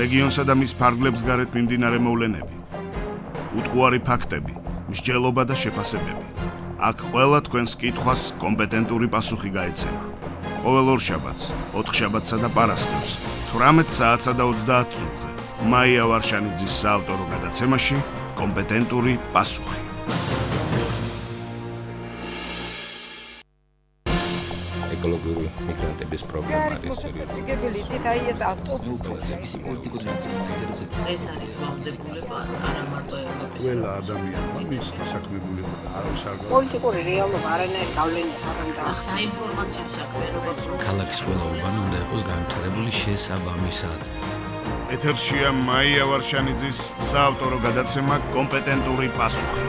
რეგიონსა და მის ფარგლებს გარეთ მიმდინარე მოვლენები, უტყუარი ფაქტები, მსჯელობა და შეფასებები. აქ ყველა თქვენს კითხვას კომპეტენტური პასუხი გაეცემა. ყოველ ორშაბათს, ოთხშაბათსა და პარასკევს, 18 საათსა და 30 წუთზე. მაია ვარშანიძის საავტორო გადაცემაში კომპეტენტური პასუხი. ეკოლოგიური მიგრანტების პრობლემა არის მოსაცილებელი ცით აი ეს ავტობუსი პოლიტიკური ნაწილი ინტერესებს. ეს არის ვალდებულება არა მარტო ევროპის ყველა ადამიანმა მის დასაქმებულება არის არ პოლიტიკური რეალობა არანაირი გავლენა არ აქვს. საინფორმაციო საქმიანობა ქალაქის ყველა უბანი უნდა იყოს განვითარებული შესაბამისად. ეთერშია მაია ვარშანიძის საავტორო გადაცემა კომპეტენტური პასუხი.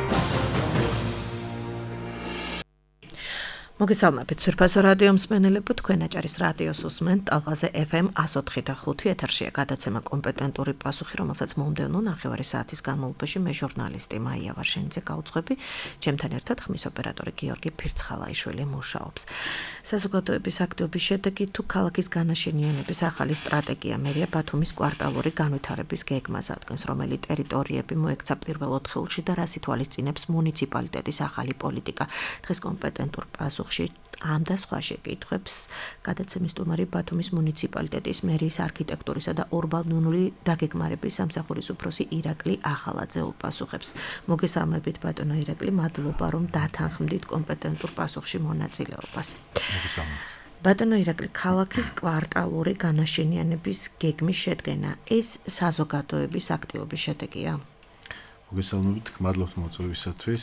მოგესალმებით სვირფასო რადიო მსმენელებო, თქვენ აჭარის რადიოს უსმენთ ტალღაზე FM 104.5 ეთერშია გადაცემა კომპეტენტური პასუხი, რომელსაც მომდევნო ნახევარი საათის განმავლობაში მე ჟურნალისტი მაია ვარშანიძე გავუძღვები, ჩემთან ერთად ხმის ოპერატორი გიორგი ფირცხალაიშვილი მუშაობს. საზოგადოების აქტივობის შედეგი თუ ქალაქის განაშენიანების ახალი სტრატეგია მერია ბათუმის კვარტალური განვითარების გეგმას ადგენს, რომელი ტერიტორიები მოექცა პირველ ოთხეულში და რას ითვალისწინებს მუნიციპალიტეტის ახალი პოლიტიკა. დღეს კომპეტენტურ პასუხში ამ და სხვა შეკითხვებს გადაცემის სტუმარი ბათუმის მუნიციპალიტეტის მერიის არქიტექტურისა და урბანული დაგეგმარების სამსახურის უფროსი ირაკლი ახალაძე უპასუხებს. მოგესალმებით ბატონო ირაკლი, მადლობა რომ დათანხმდით კომპეტენტურ პასუხში მონაწილეობას. მოგესალმებით. ბატონო ირაკლი, ქალაქის კვარტალური განაშენიანების გეგმის შედგენა ეს საზოგადოების აქტივობის შედეგია? მოგესალმებით, მადლობთ მოწვევისათვის.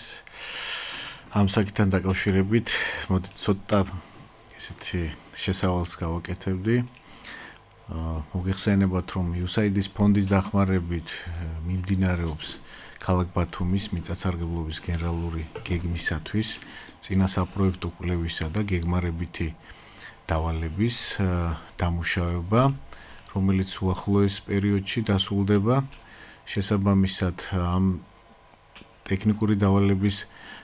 ამ საკითხთან დაკავშირებით მოდით ცოტა ესეთი შესავალს გავაკეთებდი. მოგეხსენებათ, რომ USAID-ის ფონდის დახმარებით მიმდინარეობს ქალაქ ბათუმის მიწათსარგებლობის გენერალური გეგმისათვის წინასაპროექტო კვლევისა და გეგმარებითი დავალების დამუშავება, რომელიც უახლოეს პერიოდში დასრულდება. შესაბამისად, ამ ტექნიკური დავალების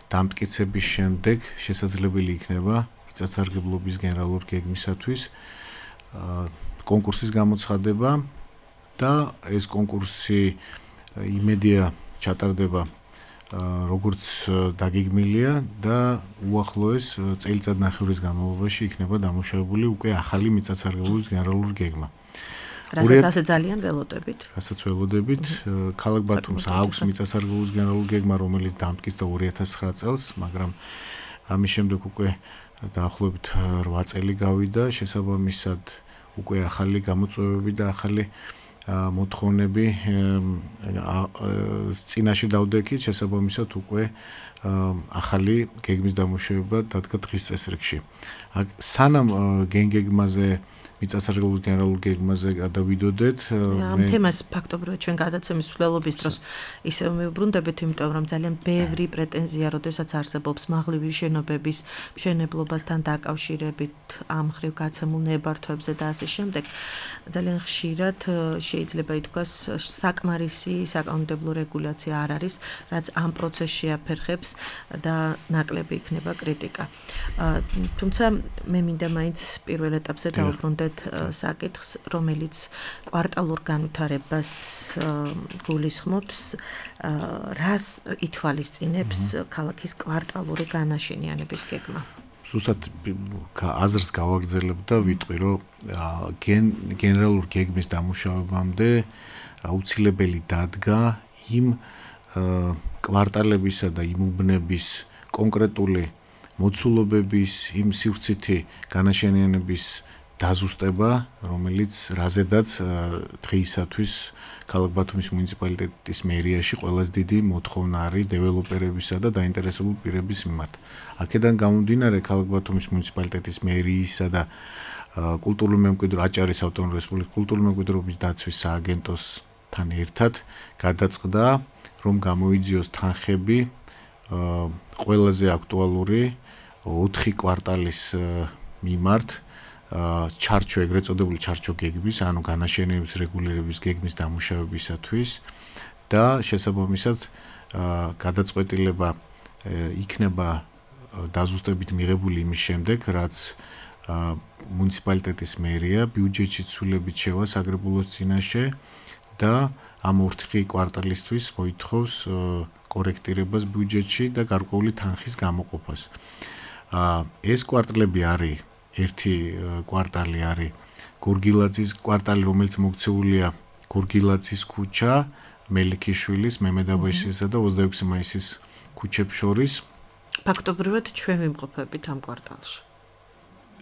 დამტკიცების შემდეგ შესაძლებელი იქნება მიწათსარგებლობის გენერალურ გეგმისათვის კონკურსის გამოცხადება და ეს კონკურსი იმედია ჩატარდება როგორც დაგეგმილია და უახლოეს წელიწადნახევრის განმავლობაში იქნება დამუშავებული უკვე ახალი მიწათსარგებლობის გენერალური გეგმა. რასაც ასე ძალიან ველოდებით. რასაც ველოდებით, ქალაქ ბათუმს აქვს მიწათსარგებლობის გენერალური გეგმა, რომელიც დამტკიცდა 2009 წელს, მაგრამ ამის შემდეგ უკვე დაახლოებით 8 წელი გავიდა, შესაბამისად უკვე ახალი გამოწვევები და ახალი მოთხოვნები წინაშე დავდექით, შესაბამისად უკვე ახალი გეგმის დამუშავება დადგა დღის წესრიგში. სანამ გეგმაზე მიწათსარგებლობის გენერალურ გეგმაზე გადავიდოდეთ. ამ თემას ფაქტობრივად ჩვენ გადაცემის მცველობის დროს ისევ მივბრუნდებით, იმიტომ რომ ძალიან ბევრი პრეტენზია, როდესაც არსებობს მაღლივი შენობების მშენებლობასთან დაკავშირებით, ამ მხრივ გაცემულ ნებართვებზე და ასე შემდეგ, ძალიან ხშირად შეიძლება ითქვას საკმარისი საკანონმდებლო რეგულაცია არ არის, რაც ამ პროცესს შეაფერხებს და ნაკლები იქნება კრიტიკა. თუმცა მე მინდა მაინც პირველ ეტაპზე დავუბრუნდეთ საკითხს, რომელიც კვარტალურ განვითარებას გულისხმობს, რას ითვალისწინებს ქალაქის კვარტალური განაშენიანების გეგმა. ზუსტად აზრს გავაგრძელებ და ვიტყვი, რომ გენერალურ გეგმის დამუშავებამდე აუცილებელი დადგა იმ კვარტალებისა და იმ უბნების კონკრეტული მოცულობების, იმ სივრცითი განაშენიანების დაზუსტება, რომელიც რაზედაც დღეისათვის ქალაქ ბათუმის მუნიციპალიტეტის მერიაში ყველაზე დიდი მოთხოვნა არის დეველოპერებისა და დაინტერესებული პირების მიმართ. აქედან გამომდინარე ქალაქ ბათუმის მუნიციპალიტეტის მერიისა და კულტურული მემკვიდრეობის აჭარის ავტონომიური რესპუბლიკის კულტურული მემკვიდრეობის დაცვის სააგენტოსთან ერთად გადაწყდა, რომ გამოიძიოს თანხები ყველაზე აქტუალური 4 კვარტალის მიმართ ჩარჩო, ეგრეთ წოდებული ჩარჩო გეგმის, ანუ განაშენების რეგულირების გეგმის დამუშავებისათვის და შესაბამისად გადაწყვეტილება იქნება დაზუსტებით მიღებული იმის შემდეგ, რაც მუნიციპალიტეტის მერია ბიუჯეტში ცვლილებით შევა საგრებულოს წინაშე და ამ ორთქი კვარტალისთვის მოითხოვს კორექტირებას ბიუჯეტში და გარკვეული თანხის გამოყოფას. ეს კვარტალები არის ერთი კვარტალი არის გორგილაძის კვარტალი, რომელიც მოქცეულია გორგილაძის ქუჩა, მელიქიშვილის, მემედაბაშისა და 26 მაისის ქუჩებს შორის. ფაქტობრივად ჩვენ ვიმყოფებით ამ კვარტალში.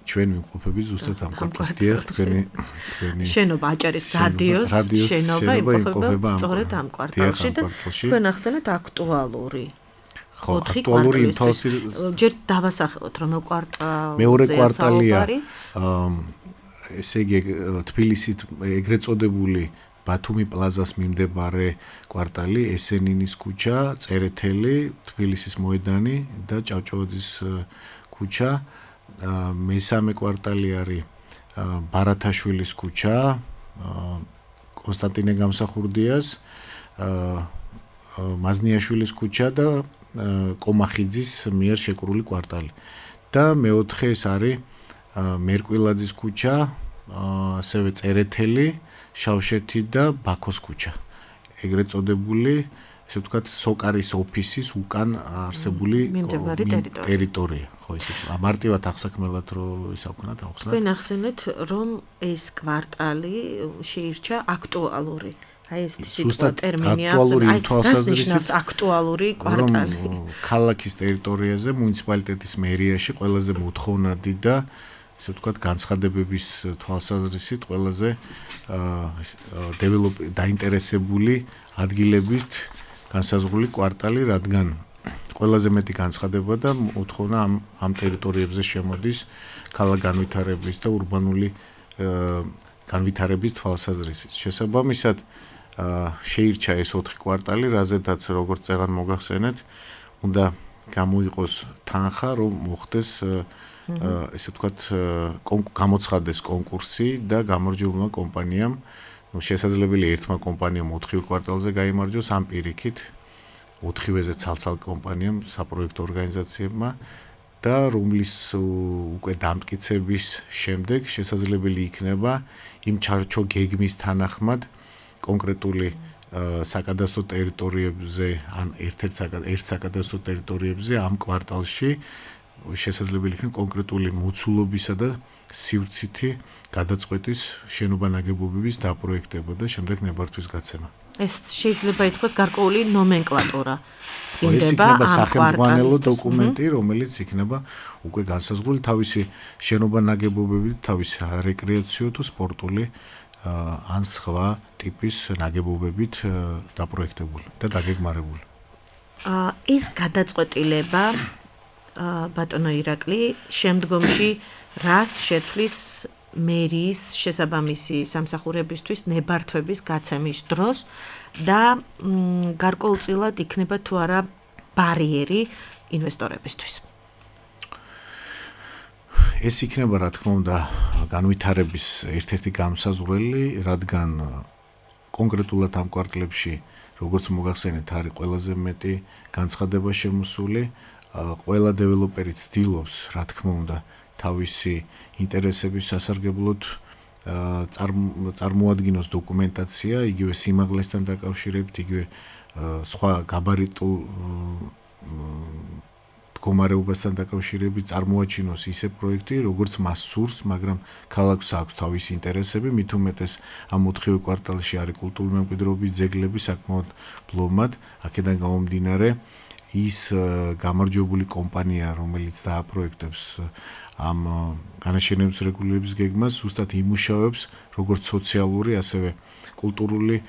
ჩვენ ვიმყოფებით ზუსტად ამ კვარტალში. დიახ, თქვენი შენობა აჭარის რადიოს შენობა იმყოფება სწორედ ამ კვარტალში და თქვენ ახსენეთ აქტუალური. ხო, აქტუალური იმ თვალსაზრისით ჯერ დავასახელოთ რომელ კვარტალზე მეორე კვარტალია ესე იგი თბილისით ეგრეთ წოდებული ბათუმი პლაზას მიმდებარე კვარტალი, ესენინის ქუჩა, წერეთელი, თბილისის მოედანი და ჭავჭავაძის ქუჩა. მესამე კვარტალი არის ბარათაშვილის ქუჩა, კონსტანტინე გამსახურდიას, მაზნიაშვილის ქუჩა და კომახიძის მიერ შეკრული კვარტალი. და მეოთხე ეს არის მერკვილაძის ქუჩა, ასევე წერეთელი, შავშეთი და ბაქოს ქუჩა. ეგრეთ წოდებული, ესე ვთქვათ, სოკარის ოფისის უკან არსებული ტერიტორია. ხო, ისე მარტივად აღსაქმელად რო ისაუბროთ, ახსნათ. თქვენ ახსენეთ, რომ ეს კვარტალი შეირჩა აქტუალური. აი ეს სიტყვა ტერმინი აქტუალური აქტუალური კვარტალი. ქალაქის ტერიტორიაზე, მუნიციპალიტეტის მერიაში ყველაზე მოთხოვნადი და ესე ვთქვათ, განცხადებების თვალსაზრისით ყველაზე დაინტერესებული ადგილებით განსაზღვრული კვარტალი, რადგან ყველაზე მეტი განცხადება და მოთხოვნა ამ ტერიტორიებზე შემოდის ქალაქ განვითარების და ურბანული განვითარების თვალსაზრისით. შესაბამისად, შეირჩა ეს 4 კვარტალი, რაზედაც როგორც წეგან მოგახსენეთ, უნდა გამოიყოს თანხა, რომ მოხდეს ესე ვთქვათ, გამოცხადდეს კონკურსი და გამარჯვებულმა კომპანიამ, შესაძლებელი ერთმა კომპანიამ 4 კვარტალზე გაიმარჯვოს, ამ პირიქით 4-ვეზე ცალ-ცალ კომპანიამ, საპროექტო ორგანიზაციებმა და რომლის უკვე დამტკიცების შემდეგ შესაძლებელი იქნება იმ ჩარჩო გეგმის თანახმად კონკრეტული საკადასტრო ტერიტორიებზე ან ერთ საკადასტრო ტერიტორიებზე ამ კვარტალში შესაძლებელი იქნება კონკრეტული მოცულობისა და სივრცითი გადაწყვეტის შენობა-ნაგებობების დაპროექტება და შემდეგ ნებართვის გაცემა. ეს შეიძლება ითქვას გარკვეული ნომენკლატურა. ეს იქნება სახელმძღვანელო დოკუმენტი, რომელიც იქნება უკვე განსაზღვრული თავისი შენობა-ნაგებობებით, თავისი რეკრეაციო თუ სპორტული ან სხვა ტიპის ნაგებობებით დაპროექტებული და დაგეგმარებული. ეს გადაწყვეტილება ბატონო ირაკლი შემდგომში რას შეცვლის მერიის შესაბამისი სამსახურებისთვის ნებართვების გაცემის დროს და გარკვეულწილად იქნება თუ არა ბარიერი ინვესტორებისთვის. ეს იქნება რა თქმა უნდა განვითარების ერთ-ერთი გამსაზღვრელი, რადგან კონკრეტულად ამ კვარტლებში, როგორც მოგახსენეთ, არის ყველაზე მეტი განცხადება შემოსული, ყველა დეველოპერი ცდილობს, რა თქმა უნდა, თავისი ინტერესების სასარგებლოდ წარმოადგინოს დოკუმენტაცია, იგივე სიმაღლესთან დაკავშირებით, იგივე სხვა გაბარიტულ მდგომარეობასთან დაკავშირებით წარმოაჩინოს ისე პროექტი, როგორც მას სურს, მაგრამ ქალაქს აქვს თავისი ინტერესები, მით უმეტეს ამ 4 კვარტალში არის კულტურული მემკვიდრეობის ძეგლები საკმაოდ ბლომად, აქედან გამომდინარე ის გამარჯვებული კომპანია, რომელიც დააპროექტებს ამ განაშენების რეგულირების გეგმას, ზუსტად იმუშავებს როგორც სოციალური, ასევე კულტურული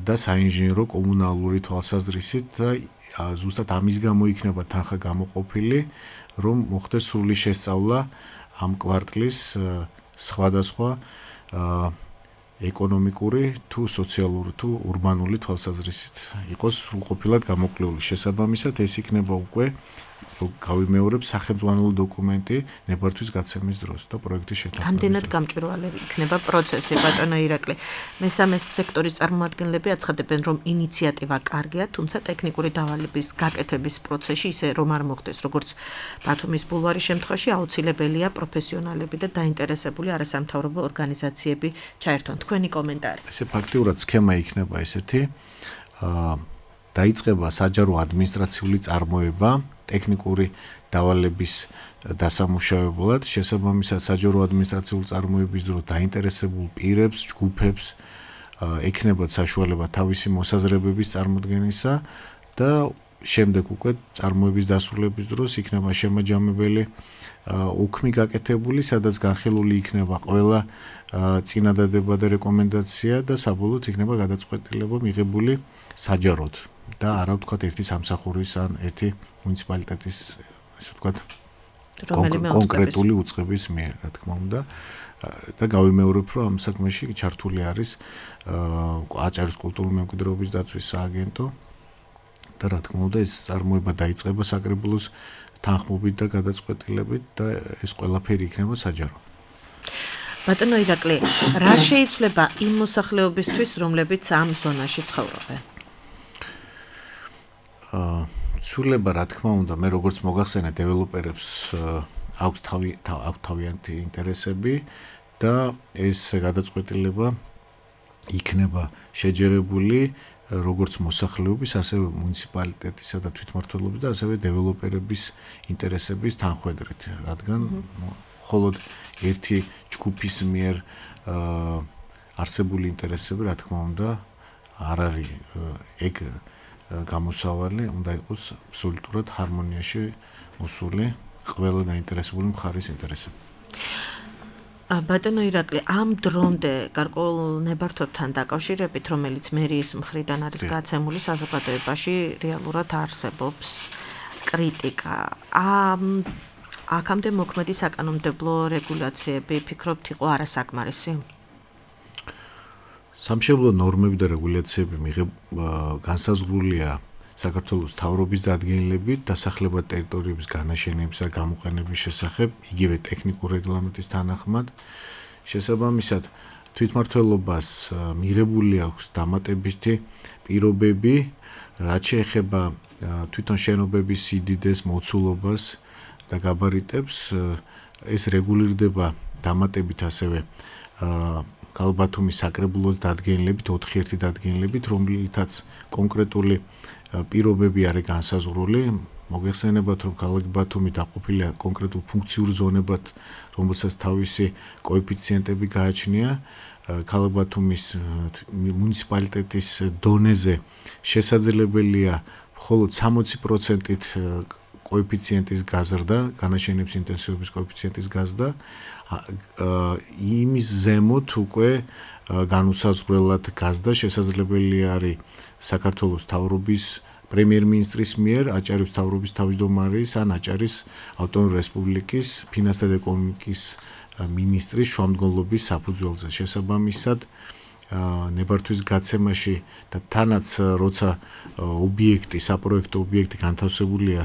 და საინჟინრო კომუნალური თვალსაზრისით და ზუსტად ამის გამო იქნება თანხა გამოყოფილი, რომ მოხდეს სრული შესწავლა ამ კვარტლის სხვადასხვა ეკონომიკური თუ სოციალური თუ ურბანული თვალსაზრისით იყოს სრულყოფილად გამოკლებული. შესაბამისად ეს იქნება უკვე გავიმეორებ სახელმწიფო დოკუმენტი ნებართვის გაცემის დროს და პროექტის შეთანხმების. რამდენად გამჭვირვალე იქნება პროცესი, ბატონო ირაკლი. მესამე სექტორის წარმომადგენლები აცხადებენ, რომ ინიციატივა კარგია, თუმცა ტექნიკური დავალების გაკეთების პროცესში ისე რომ არ მოხდეს, როგორც ბათუმის ბულვარის შემთხვევაში აუცილებელია პროფესიონალები და დაინტერესებული არასამთავრობო ორგანიზაციები ჩაერთონ. თქვენი კომენტარი. ესე ფაქტიურად სქემა იქნება ესეთი, დაიწყება საჯარო ადმინისტრაციული წარმოება ტექნიკური დავალების დასამუშავებლად, შესაბამისად საჯარო ადმინისტრაციული წარმოების დროს დაინტერესებულ პირებს, ჯგუფებს ექნებათ საშუალება თავისი მოსაზრებების წარმოდგენისა და შემდეგ უკვე წარმოების დასრულების დროს იქნება შემაჯამებელი უქმი გაკეთებული, სადაც განხილული იქნება ყველა წინადადება და რეკომენდაცია და საბოლოოდ იქნება გადაწყვეტილება მიღებული საჯაროდ და არა ვთქვათ ერთი სამსახურის ან ერთი მუნიციპალიტეტის ესე ვთქვათ კონკრეტული უწყების მიერ, რა თქმა უნდა და გავიმეორებ, რომ ამ საქმეში ჩართული არის აჭარის კულტურული მემკვიდრეობის დაცვის სააგენტო და რა თქმა უნდა ეს წარმოება დაიწყება საკრებულოს თანხმობით და გადაწყვეტილებით და ეს ყველაფერი იქნება საჯარო. ბატონო ირაკლი, რა შეიძლება იმ მოსახლეობისთვის, რომლებიც ამ ზონაში ცხოვრობენ? ცვლილება რა თქმა უნდა, მე როგორც მოგახსენე დეველოპერებს აქვს თავიანთი ინტერესები და ეს გადაწყვეტილება იქნება შეჯერებული როგორც მოსახლეობის, ასევე მუნიციპალიტეტისა და თვითმმართველობის და ასევე დეველოპერების ინტერესების თანხვედრით, რადგან მხოლოდ ერთი ჯგუფის მიერ არსებული ინტერესები, რა თქმა უნდა, არ არის ეგ გამოსავალი, უნდა იყოს აბსოლუტურად ჰარმონიაში მოსული ყველა დაინტერესებული მხარის ინტერესები. ბატონო ირაკლი, ამ დრომდე გარკვეულ ნებართვებთან დაკავშირებით, რომელიც მერიის მხრიდან არის გაცემული საზოგადოებაში, რეალურად არსებობს კრიტიკა. აქამდე მოქმედი საკანონმდებლო რეგულაციები ფიქრობთ იყო არასაკმარისი? სამშობლო ნორმები და რეგულაციები განსაზღვრულია საქართველოს მთავრობის დადგენილებით დასახლებად ტერიტორიების განაშენების და გამოყენების შესახებ, იგივე ტექნიკურ რეგლამენტის თანახმად. შესაბამისად, თვითმმართველობას მიღებული აქვს დამატებითი პირობები, რაც შეეხება თვითონ შენობების სიდიდეს, მოცულობას და გაბარიტებს, ეს რეგულირდება დამატებით ასევე კალბათუმის საკრებულოს დადგენილებით, 4-1 დადგენილებით, რომლითაც კონკრეტული პირობები არის განსაზღვრული. მოგეხსენებათ, რომ ქალაქ ბათუმი დაყოფილია კონკრეტულ ფუნქციურ ზონებად, რომელსაც თავისი კოეფიციენტები გააჩნია. ქალაქ ბათუმის მუნიციპალიტეტის დონეზე შესაძლებელია მხოლოდ 60%-ით კოეფიციენტის გაზრდა, განაშენების ინტენსივობის კოეფიციენტის გაზრდა, იმის ზემოთ უკვე განუსაზღვრელად გაზრდა შესაძლებელი არის საქართველოს მთავრობის პრემიერ-მინისტრის მიერ, აჭარის მთავრობის თავმჯდომარის ან აჭარის ავტონომიური რესპუბლიკის ფინანსთა და ეკონომიკის მინისტრის შუამდგომლობის საფუძველზე. შესაბამისად, ნებართვის გაცემაში და თანაც როცა ობიექტი, საპროექტო ობიექტი განთავსებულია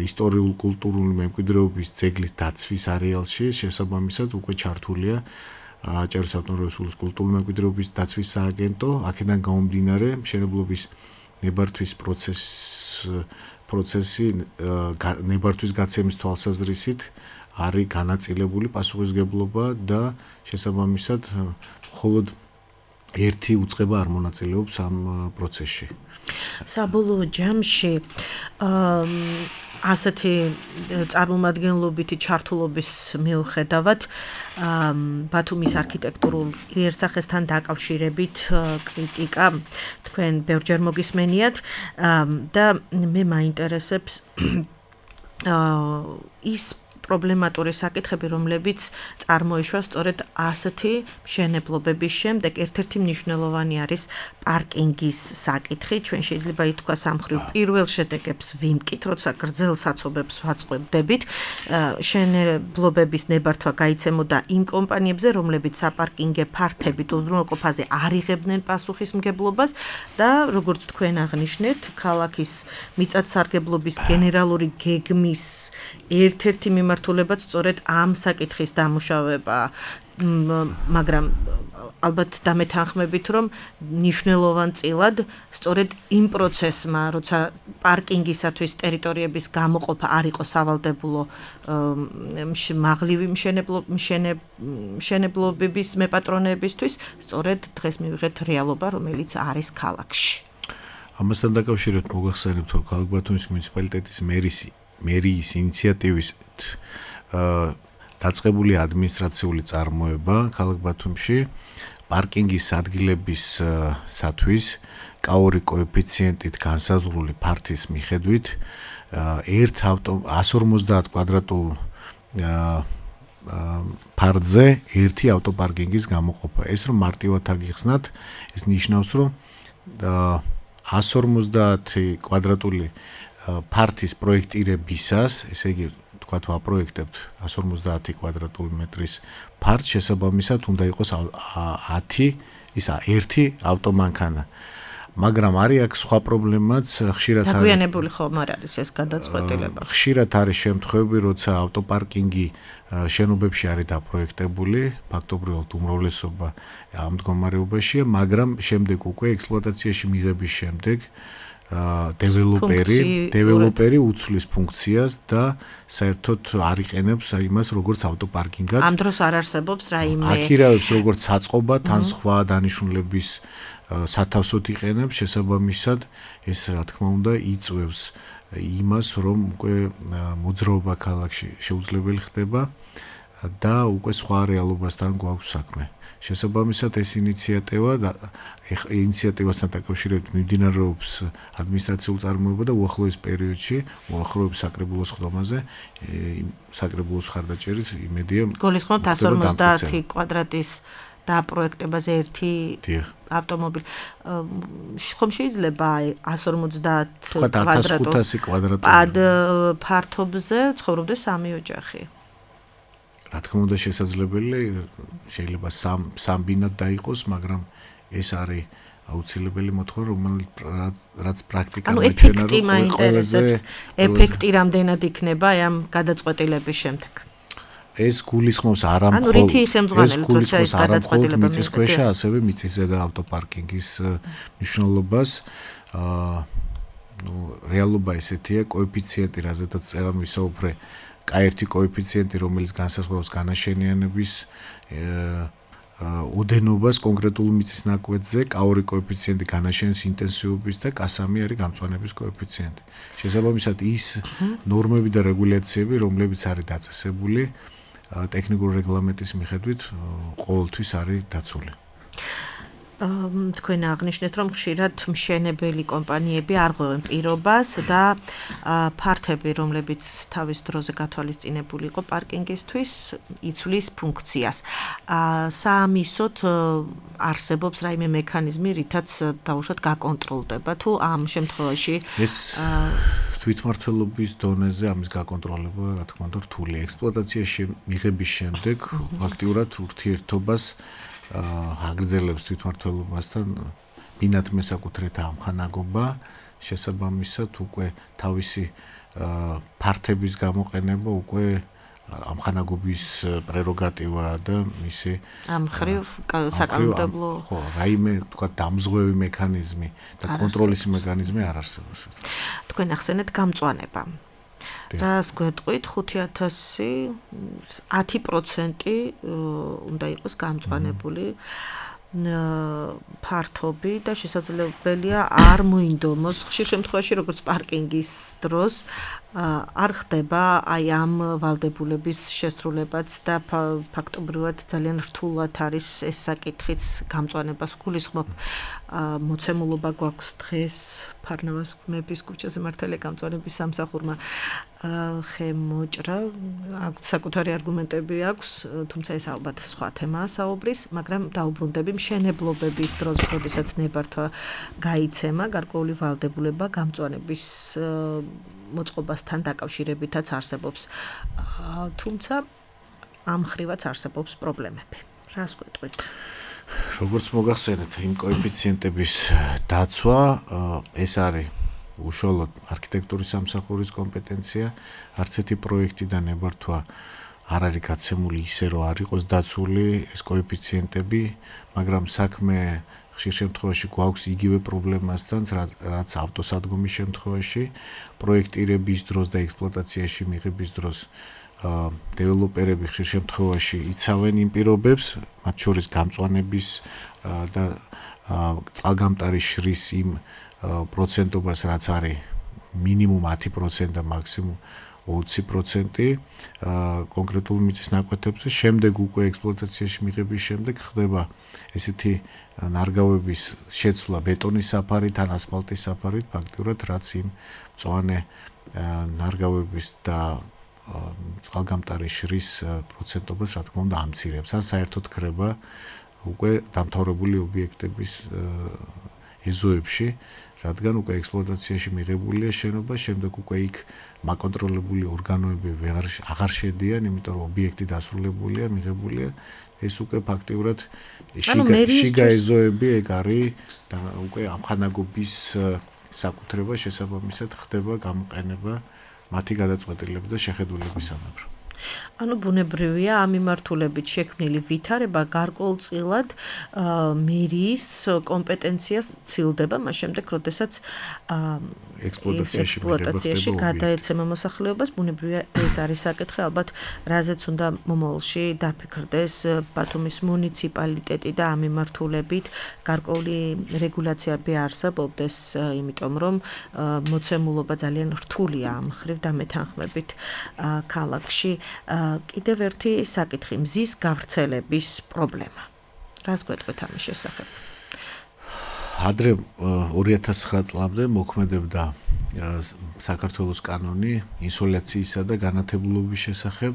ისტორიულ კულტურული მემკვიდრეობის ძეგლის დაცვის არეალში, შესაბამისად უკვე ჩართულია აჭარის ავტონომიური რესპუბლიკის კულტურული მემკვიდრეობის დაცვის სააგენტო. აქედან გამომდინარე, მშენებლობის ნებართვის პროცესი ნებართვის გაცემის თვალსაზრისით არის განაწილებული პასუხისმგებლობა და შესაბამისად მხოლოდ ერთი უწყება არ მონაწილეობს ამ პროცესში. საბოლოო ჯამში ასეთი წარმომადგენლობითი ჩართულობის მიუხედავად ბათუმის არქიტექტურულ იერსახესთან დაკავშირებით კრიტიკა თქვენ ბევრჯერ მოგისმენიათ და მე მაინტერესებს ის პრობლემატური საკითხები, რომლებიც წარმოიშვა სწორედ ასეთი მშენებლობების შემდეგ. ერთ-ერთი მნიშვნელოვანი არის პარკინგის საკითხი. ჩვენ შეიძლება ითქვას ამ მხრივ პირველ შედეგებს ვიმკით, როცა გრძელ საცობებს ვაწყვეტდებით. მშენებლობების ნებართვა გაიცემოდა იმ კომპანიებზე, რომლებიც საპარკინგო ფართებით უზრუნველყოფაზე არ იღებდნენ პასუხისმგებლობას და როგორც თქვენ აღნიშნეთ, ქალაქის მიწათსარგებლობის გენერალური გეგმის ერთ-ერთი მიმართულებაც სწორედ ამ საკითხის დამუშავება, მაგრამ ალბათ დამეთანხმებით, რომ მნიშვნელოვანწილად სწორედ იმ პროცესმა, როცა პარკინგისათვის ტერიტორიების გამოყოფა არ იყო სავალდებულო მაღლივი მშენებლობების მეპატრონეებისთვის, სწორედ დღეს მივიღეთ რეალობა, რომელიც არის ქალაქში. ამასთან დაკავშირებით მოგახსენებთ, რომ ქალაქ ბათუმის მუნიციპალიტეტის მერიის ინიციატივით დაწყებული ადმინისტრაციული წარმოება ქალაქ ბათუმში პარკინგის ადგილებისათვის კაური კოეფიციენტით განსაზღვრული ფართის მიხედვით 150 კვადრატულ ფართზე ერთი ავტოპარკინგის გამოყოფა. ეს რომ მარტივად აგიხსნათ, ეს ნიშნავს, რომ 150 კვადრატული ფართის პროექტირებისას, ესე იგი თქვათ ვაპროექტებთ 150 კვადრატული მეტრის ფართს, შესაბამისად უნდა იყოს 1 ავტომანქანა. მაგრამ არის აქ სხვა პრობლემაც, ხშირად არის დაგვიანებული ხომ არ არის ეს გადაწყვეტილება. ხშირად არის შემთხვევები, როცა ავტოპარკინგი შენობებში არის დაპროექტებული, ფაქტობრივად უმრავლესობა ამ მდგომარეობაშია, მაგრამ შემდეგ უკვე ექსპლუატაციაში მიღების შემდეგ დეველოპერი უცვლის ფუნქციას და საერთოდ არ იყენებს იმას როგორც ავტოპარკინგად. ამ დროს არ არსებობს რაიმე აქირავებს როგორც საწყობად, ან სხვა დანიშნულების სათავსოდ იყენებს, შესაბამისად ეს რა თქმა უნდა იწვევს იმას, რომ უკვე მოძრაობა ქალაქში შეუძლებელი ხდება და უკვე სხვა რეალობასთან გვაქვს საქმე. შესაბამისად ეს ინიციატივასთან დაკავშირებით მიმდინარეობს ადმინისტრაციულ წარმოება და უახლოეს პერიოდში, უახლოების საკრებულოს ხდომაზე, საკრებულოს ხარდაჭერით იმედია გულისხმობთ 150 კვადრატის დაპროექტებაზე ერთი ავტომობილი. ხომ შეიძლება 150 კვადრატულ ფართობზე ცხოვრობდეს სამი ოჯახი? რა თქმა უნდა შესაძლებელი, შეიძლება სამ ბინად დაიყოს, მაგრამ ეს არის აუცილებელი მოთხოვნა, რაც პრაქტიკაში მაინტერესებს, ეფექტი რამდენად იქნება ამ გადაწყვეტილების შემდეგ. ეს გულისხმობს არამხოლოდ მიწისქვეშა, ასევე მიწისზედა ავტოპარკინგის მნიშვნელობას. რეალობა ესეთია, კოეფიციენტი, რაზედაც წელან ვისაუბრე, K1 კოეფიციენტი, რომელიც განსაზღვრავს განაშენიანების ოდენობას კონკრეტულ მიწის ნაკვეთზე, K2 კოეფიციენტი განაშენის ინტენსივობის და K3 არის გამწვანების კოეფიციენტი. შესაბამისად ის ნორმები და რეგულაციები, რომლებიც არის დაწესებული ტექნიკური რეგლამენტის მიხედვით, ყოველთვის არის დაცული. თქვენ აღნიშნეთ, რომ ხშირად მშენებელი კომპანიები არ ღვევენ პირობას და ფართები, რომლებიც თავის დროზე გათვალისწინებული იყო პარკინგისთვის, იცვლის ფუნქციას. საამისოდ არსებობს რაიმე მექანიზმი, რითაც დაუშვათ გაკონტროლდება თუ ამ შემთხვევაში ეს თვითმმართველობის დონეზე ამის გაკონტროლება, რა თქმა უნდა, რთულია. ექსპლუატაციაში მიღების შემდეგ აქტიურად ურთიერთობას აგრძელებს თვითმმართველობასთან ბინათ მესაკუთრეთა ამხანაგობა, შესაბამისად უკვე თავისი ფართების გამოყენება უკვე ამხანაგობის პრეროგატივაა და მისი ამ ხრივ საკანონმდებლო ხო, რაიმე თქვა დამზღვევი მექანიზმი და კონტროლის მექანიზმი არ არსებობს. თქვენ ახსენეთ გამწვანება. რას გვეტყვით 5000 10% უნდა იყოს გამწვანებული ფართობი და შესაძლებელია არ მოინდომოს ხშირ შემთხვევაში როგორც პარკინგის დროს არ ხდება აი ამ ვალდებულების შესრულებაც და ფაქტობრივად ძალიან რთულად არის ეს საკითხიც გამწვანებას გულისხმობ მოცემულობა გვაქვს დღეს ფარნავაზ მეფის ქუჩაზე მართალია გამწვანების სამსახურმა ხემოჭრა, საკუთარი არგუმენტები აქვს, თუმცა ეს ალბათ სხვა თემაა საუბრის, მაგრამ დაუბრუნდები მშენებლობების დროს, როდესაც ნებართვა გაიცემა, გარკვეული ვალდებულება გამწვანების მოწყობასთან დაკავშირებითაც არსებობს. თუმცა ამ ხრივაც არსებობს პრობლემები. რას გვეტყვით? როგორც მოგახსენეთ, იმ კოეფიციენტების დაცვა ეს არის უშუალოდ არქიტექტურის სამსახურის კომპეტენცია, არც ერთი პროექტიდან ნებართვა არ არის გაცემული ისე, რომ არ იყოს დაცული ეს კოეფიციენტები, მაგრამ საქმე ხშირ შემთხვევაში გვაქვს იგივე პრობლემასთან, რაც ავტოსადგომის შემთხვევაში, პროექტირების დროს და ექსპლუატაციაში მიღების დროს დეველოპერები ხშირ შემთხვევაში იცავენ იმ პირობებს, მათ შორის გამწვანების და წყალგამტარის შრის იმ პროცენტობას, რაც არის მინიმუმ 10% და მაქსიმუმ 20% კონკრეტულ მიწის ნაკვეთებზე, შემდეგ უკვე ექსპლუატაციაში მიღების შემდეგ ხდება ესეთი ნარგავების შეცვლა ბეტონის საფარით ან ასფალტის საფარით, ფაქტიურად რაც იმ მწვანე ნარგავების და წყალგამტარის შრის პროცენტობას, რა თქმა უნდა, ამცირებს, ან საერთოდ ხდება უკვე დამთავრებული ობიექტების ეზოებში, რადგან უკვე ექსპლუატაციაში მიღებულია შენობა, შემდეგ უკვე იქ მაკონტროლებული ორგანოები აღარ შედიან, იმიტომ რომ ობიექტი დასრულებულია, მიღებულია, ეს უკვე ფაქტიურად შიგა ეზოები ეგ არის და უკვე ამხანაგობის საკუთრება შესაბამისად ხდება გამოყენება მათი გადაწყვეტილების და შეხედულებისამებრ. ანუ ბუნებრივია ამ მიმართულებით შექმნილი ვითარება გარკვეულწილად მერიის კომპეტენციას ცილდება, მას შემდეგ, როდესაც ექსპლუატაციაში გადაეცემა მოსახლეობას, ბუნებრივია ეს არის საკითხი, ალბათ რაზეც უნდა მომავალში დაფიქრდეს ბათუმის მუნიციპალიტეტი და ამ მიმართულებით გარკვეული რეგულაციები არსებობდეს, იმიტომ რომ მოცემულობა ძალიან რთულია ამ ხრივ და მეთანხმებით ქალაქში. კიდევ ერთი საკითხი, მზის გავრცელების პრობლემა. რას გვეტყვით ამის შესახებ? ადრე 2009 წლამდე მოქმედებდა საქართველოს კანონი ინსოლაციისა და განათებულობის შესახებ,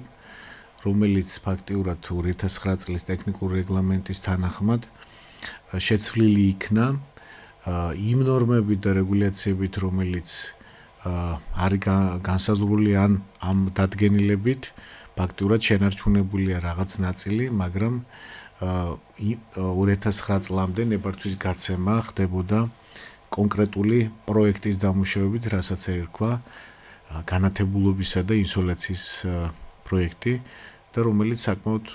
რომელიც ფაქტიურად 2009 წლის ტექნიკური რეგლამენტის თანახმად შეცვლილი იქნა იმ ნორმებით და რეგულაციებით, რომელიც არის განსაზღვრული ამ დადგენილებით, ფაქტიურად შენარჩუნებულია რაღაც ნაწილი, მაგრამ 2009 წლამდე ნებართვის გაცემა ხდებოდა კონკრეტული პროექტის დამუშავებით, რასაც ერქვა განათებულობისა და ინსოლაციის პროექტი და რომელიც საკმაოდ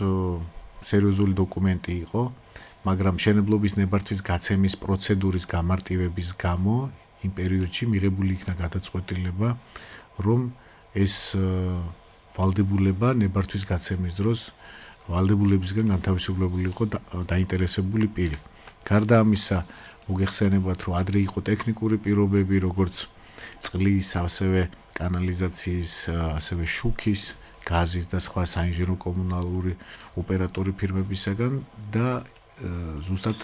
სერიოზული დოკუმენტი იყო, მაგრამ მშენებლობის ნებართვის გაცემის პროცედურის გამარტივების გამო იმ პერიოდში მიღებული იქნა გადაწყვეტილება, რომ ეს ვალდებულება ნებართვის გაცემის დროს ვალდებულებისგან განთავისუფლებული იყო დაინტერესებული პირი. გარდა ამისა, მოგეხსენებათ, რომ ადრე იყო ტექნიკური პირობები, როგორც წყლის, ასევე კანალიზაციის, ასევე შუქის, გაზის და სხვა საინჟინრო კომუნალური ოპერატორი ფირმებისაგან და ზუსტად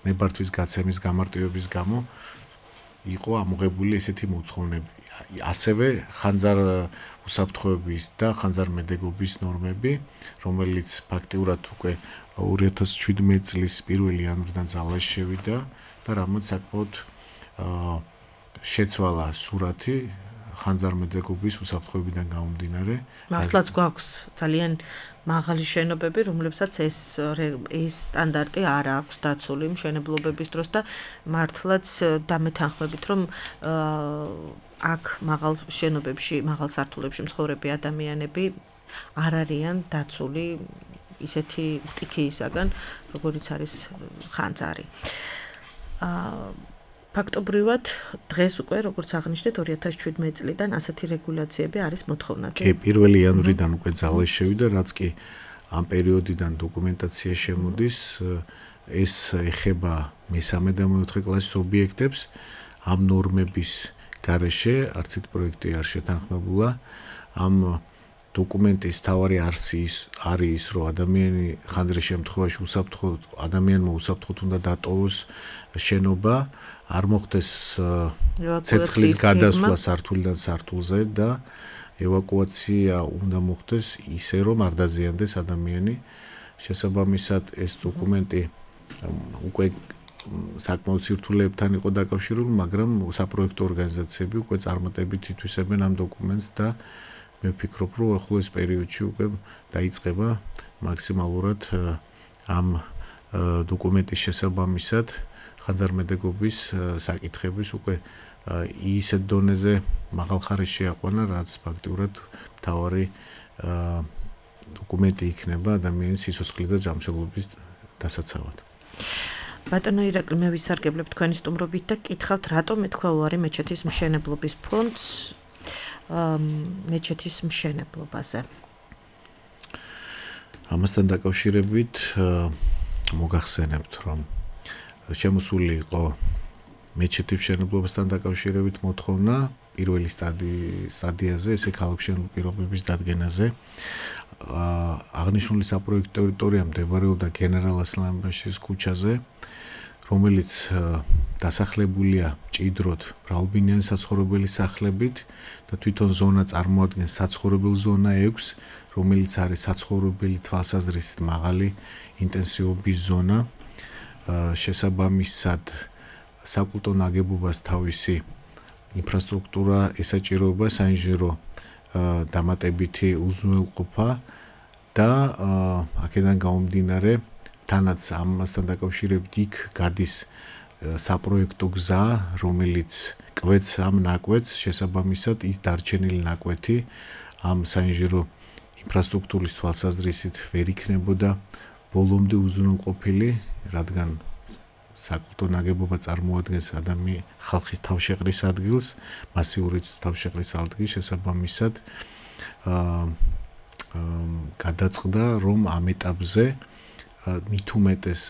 ნებართვის გაცემის გამარტივების გამო იყო ამოღებული ესეთი მოთხოვნები. ასევე ხანძარ უსაფრთხოების და ხანძარმედეგობის ნორმები, რომელიც ფაქტიურად უკვე 2017 წლის 1 იანვრიდან ძალაში შევიდა და რამაც საკმაოდ შეცვალა სურათი ხანძარმედეგობის უსაფრთხოებიდან გამომდინარე. მართლაც გვაქვს ძალიან მაღალი შენობები, რომლებსაც ეს სტანდარტი არ აქვს დაცული მშენებლობების დროს და მართლაც დამეთანხმებით, რომ აქ მაღალ შენობებში, მაღალ სართულებში მცხოვრები ადამიანები არ არიან დაცული ისეთი სტიქიისაგან, როგორიც არის ხანძარი. ფაქტობრივად დღეს უკვე, როგორც აღნიშნეთ, 2017 წლიდან ასეთი რეგულაციები არის მოთხოვნადი. კი, 1 იანვრიდან უკვე ძალაში შევიდა, რაც კი ამ პერიოდიდან დოკუმენტაცია შემოდის, ეს ეხება მესამე და მეოთხე კლასის ობიექტებს, ამ ნორმების გარეშე არც ერთ პროექტი არ შეთანხმებულა. ამ დოკუმენტის თავარი არის ის, რომ ადამიანი ხანძრის შემთხვევაში ადამიანმა უსაფრთხოდ უნდა დატოვოს შენობა, არ მოხდეს ცეცხლის გადასვლა სართულიდან სართულზე და ევაკუაცია უნდა მოხდეს ისე, რომ არ დაზიანდეს ადამიანი. შესაბამისად, ეს დოკუმენტი უკვე საკმაოდ სირთულეებთან იყო დაკავშირებული, მაგრამ საპროექტო ორგანიზაციები უკვე წარმატებით ითვისებენ ამ დოკუმენტს და მე ვფიქრობ, რომ ახლოს პერიოდში უკვე დაიწყება მაქსიმალურად ამ დოკუმენტის შესაბამისად ხანძარმედეგობის საკითხების უკვე ისეთ დონეზე მაღალხარისში აყვანა, რაც ფაქტიურად მთავარი დოკუმენტი იქნება ადამიანის სიცოცხლის და ჯანმრთელობის დასაცავად. ბატონო ირაკლი, მე ვისარგებლებ თქვენი სტუმრობით და კითხავთ, რატომ ეთქვა უარი მეჩეთის მშენებლობის ფონდს მეჩეთის მშენებლობაზე. ამასთან დაკავშირებით მოგახსენებთ, რომ შემოსული იყო მეჩეთის მშენებლობასთან დაკავშირებით მოთხოვნა პირველი სტადიაზე, ესე ქალაქმშენებლობის პირობების დადგენაზე. აღნიშნული საპროექტო ტერიტორია მდებარეობდა გენერალ ასლანბაშის ქუჩაზე, რომელიც დასახლებულია მჭიდროდ მრავალბინიანი საცხოვრებელი სახლებით და თვითონ ზონა წარმოადგენს საცხოვრებელ ზონა 6, რომელიც არის საცხოვრებელი თვალსაზრისით მაღალი ინტენსივობის ზონა. შესაბამისად, საკულტო ნაგებობას თავისი ინფრასტრუქტურა ესაჭიროება საინჟინრო დამატებითი უზრუნველყოფა და აქედან გამომდინარე თანაც ამასთან დაკავშირებით იქ გადის საპროექტო გზა, რომელიც კვეთს ამ ნაკვეთს, შესაბამისად ის დარჩენილი ნაკვეთი ამ საინჟინრო ინფრასტრუქტურის თვალსაზრისით ვერ იქნებოდა ბოლომდე უზრუნველყოფილი, რადგან საკულტო ნაგებობა წარმოადგენს ხალხის თავშეყრის ადგილს, მასიური თავშეყრის ადგილს, შესაბამისად გადაწყდა, რომ ამ ეტაპზე მით უმეტეს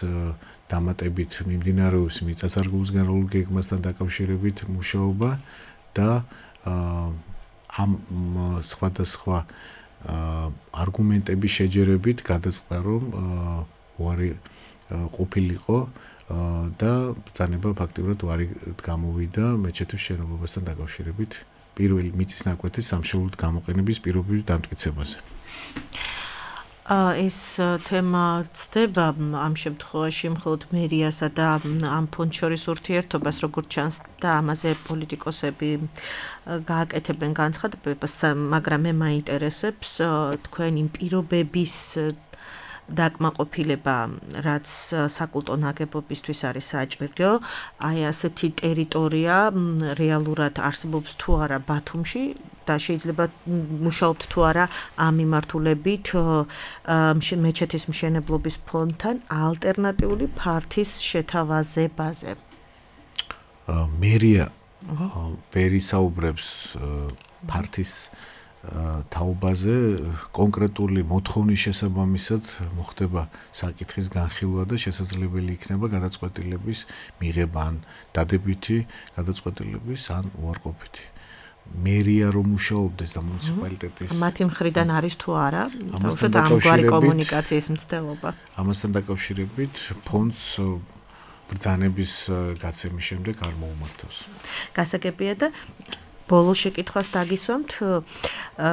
დამატებით მიმდინარეობს მიწა-სარგებლობის გენერალური გეგმასთან დაკავშირებით მუშაობა და ამ სხვადასხვა არგუმენტების შეჯერებით გადაწყდა, რომ უარი ყოფილიყო და ბრძანება ფაქტიურად უარი გამოვიდა მეჩეთის მშენებლობასთან დაკავშირებით პირველი მიწის ნაკვეთის სამშობლოდ გამოყენების პირობების დამტკიცებაზე. ეს თემა ცდება ამ შემთხვევაში მხოლოდ მერიასა და ამ ფონდს შორის ურთიერთობას, როგორც ჩანს და ამაზე პოლიტიკოსები გააკეთებენ განცხადებას, მაგრამ მე მაინტერესებს თქვენი პირობების დაკმაყოფილება, რაც საკულტო ნაგებობისთვის არის საჭირო, აი ასეთი ტერიტორია რეალურად არსებობს თუ არა ბათუმში და შეიძლება მუშაობთ თუ არა ამ მიმართულებით მეჩეთის მშენებლობის ფონდთან ალტერნატიული ფართის შეთავაზებაზე. მერია ვერ ისაუბრებს ფართის თაობაზე, კონკრეტული მოთხოვნის შესაბამისად მოხდება საკითხის განხილვა და შესაძლებელი იქნება გადაწყვეტილების მიღება ან დადებითი გადაწყვეტილების ან უარყოფითი. მერია რომ მუშაობდეს და მუნიციპალიტეტის მათი მხრიდან არის თუ არა ამგვარი კომუნიკაციის მცდელობა. ამასთან დაკავშირებით ფონდს ბრძანების გაცემის შემდეგ არ მოუმართავს. გასაგებია და ბოლო შეკითხვას დაგისვამთ,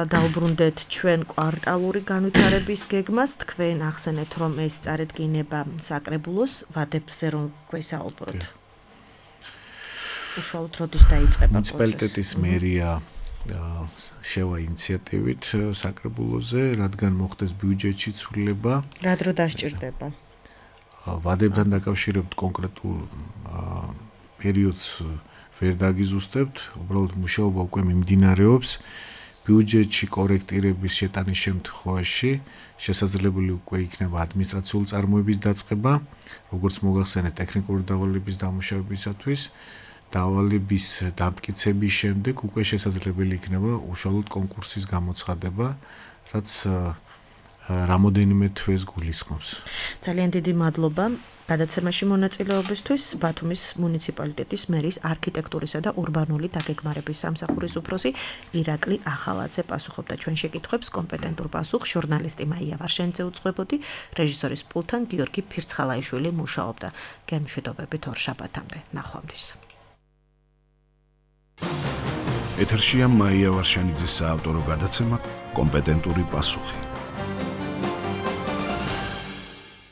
დავბრუნდეთ ჩვენ კვარტალური განვითარების გეგმას, თქვენ ახსენეთ, რომ ეს წარედგინება საკრებულოს ვადებზე რომ გვესაუბროთ. უშუალოდ როდის დაიწყება პროცესი? მუნიციპალიტეტის მერია შევა ინიციატივით საკრებულოზე, რადგან მოხდეს ბიუჯეტში ცვლილება. რა დრო დასჭირდება? ვადებთან დაკავშირებით კონკრეტულ პერიოდს ვერ დაგიზუსტებთ, უბრალოდ მუშაობა უკვე მიმდინარეობს. ბიუჯეტში კორექტირების შეტანის შემთხვევაში შესაძლებელი უკვე იქნება ადმინისტრაციული წარმოების დაწყება, როგორც მოგახსენეთ ტექნიკური დავალების დამუშავებისათვის. დავალების დამტკიცების შემდეგ უკვე შესაძლებელი იქნება უშუალოდ კონკურსის გამოცხადება, რაც რამოდენიმე თვეს გულისხმობს. ძალიან დიდი მადლობა გადაცემაში მონაწილეობისთვის. ბათუმის მუნიციპალიტეტის მერის არქიტექტურისა და ურბანული დაგეგმარების სამსახურის უფროსი ირაკლი ახალაძე პასუხობდა ჩვენ შეკითხვებს. კომპეტენტურ პასუხს ჟურნალისტი მაია ვარშენიძე უძღვებოდი, რეჟისორის პულტთან გიორგი ფირცხალაიშვილი მუშაობდა. გემშვიდობებით ორ შაბათამდე. ნახვამდის. ეთერშია მაია ვარშანიძის საავტორო გადაცემა კომპეტენტური პასუხი.